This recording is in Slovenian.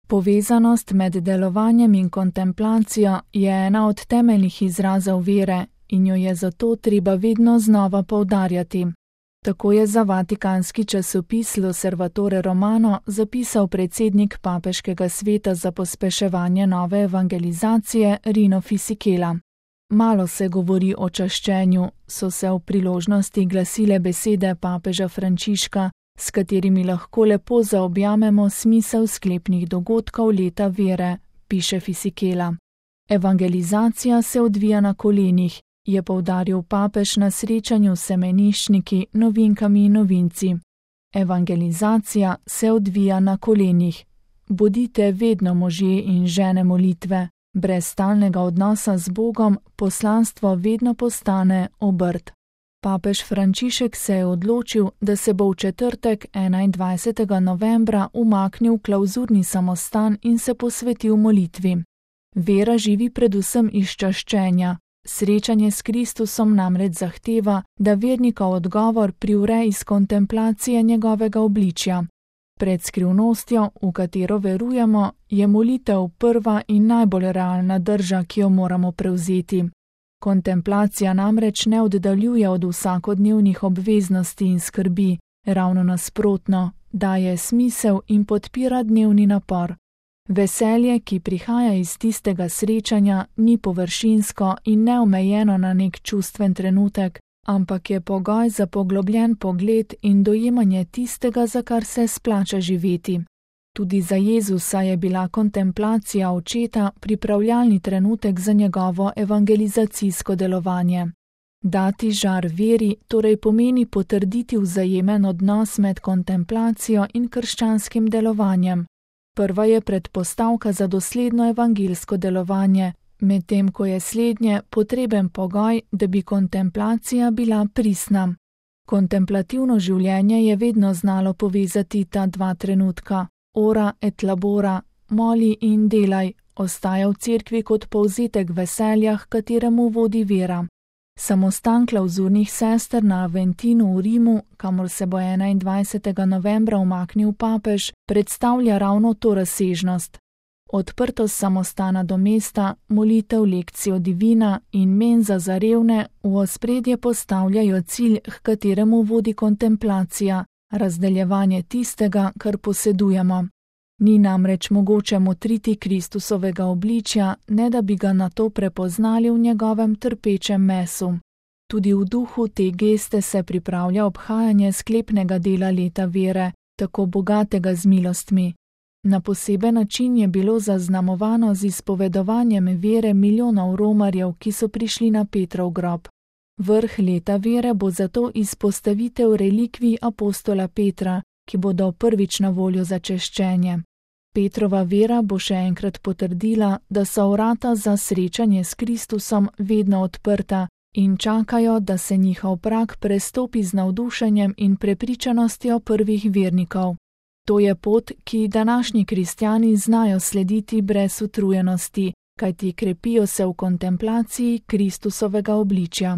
Povezanost med delovanjem in kontemplacijo je ena od temeljnih izrazov vere in jo je zato treba vedno znova poudarjati. Tako je za vatikanski časopis L'Osservatore Romano zapisal predsednik papeškega sveta za pospeševanje nove evangelizacije Rino Fisichella. Malo se govori o čaščenju, so se v priložnosti glasile besede papeža Frančiška, s katerimi lahko lepo zaobjamemo smisel sklepnih dogodkov leta vere, piše Fisichella. Evangelizacija se odvija na kolenih, je poudaril papež na srečanju s semeniščniki, novinkami in novinci. Evangelizacija se odvija na kolenih. Bodite vedno možje in žene molitve. Brez stalnega odnosa z Bogom poslanstvo vedno postane obrt. Papež Frančišek se je odločil, da se bo v četrtek 21. novembra umaknil v klavzurni samostan in se posvetil molitvi. Vera živi predvsem iz čaščenja. Srečanje s Kristusom namreč zahteva, da vernikov odgovor privre iz kontemplacije njegovega obličja. Pred skrivnostjo, v katero verujemo, je molitev prva in najbolj realna drža, ki jo moramo prevzeti. Kontemplacija namreč ne oddaljuje od vsakodnevnih obveznosti in skrbi, ravno nasprotno, daje smisel in podpira dnevni napor. Veselje, ki prihaja iz tistega srečanja, ni površinsko in neomejeno na nek čustven trenutek, ampak je pogoj za poglobljen pogled in dojemanje tistega, za kar se splača živeti. Tudi za Jezusa je bila kontemplacija očeta pripravljalni trenutek za njegovo evangelizacijsko delovanje. Dati žar veri torej pomeni potrditi vzajemen odnos med kontemplacijo in krščanskim delovanjem. Prva je predpostavka za dosledno evangelsko delovanje, medtem ko je slednje potreben pogoj, da bi kontemplacija bila pristna. Kontemplativno življenje je vedno znalo povezati ta dva trenutka. Ora et labora, moli in delaj, ostaja v cerkvi kot povzetek veselja, h kateremu vodi vera. Samostan klavzurnih sester na Aventinu v Rimu, kamor se bo 21. novembra umaknil papež, predstavlja ravno to razsežnost. Odprtost samostana do mesta, molitev lekcijo divina in menza za revne v ospredje postavljajo cilj, h kateremu vodi kontemplacija, razdeljevanje tistega, kar posedujemo. Ni namreč mogoče motriti Kristusovega obličja, ne da bi ga nato prepoznali v njegovem trpečem mesu. Tudi v duhu te geste se pripravlja obhajanje sklepnega dela leta vere, tako bogatega z milostmi. Na poseben način je bilo zaznamovano z izpovedovanjem vere milijonov romarjev, ki so prišli na Petrov grob. Vrh leta vere bo zato izpostavitev relikvij apostola Petra, ki bodo prvič na voljo za češčenje. Petrova vera bo še enkrat potrdila, da so vrata za srečanje s Kristusom vedno odprta in čakajo, da se njihov prag prestopi z navdušenjem in prepričanostjo prvih vernikov. To je pot, ki današnji kristjani znajo slediti brez utrujenosti, kajti krepijo se v kontemplaciji Kristusovega obličja.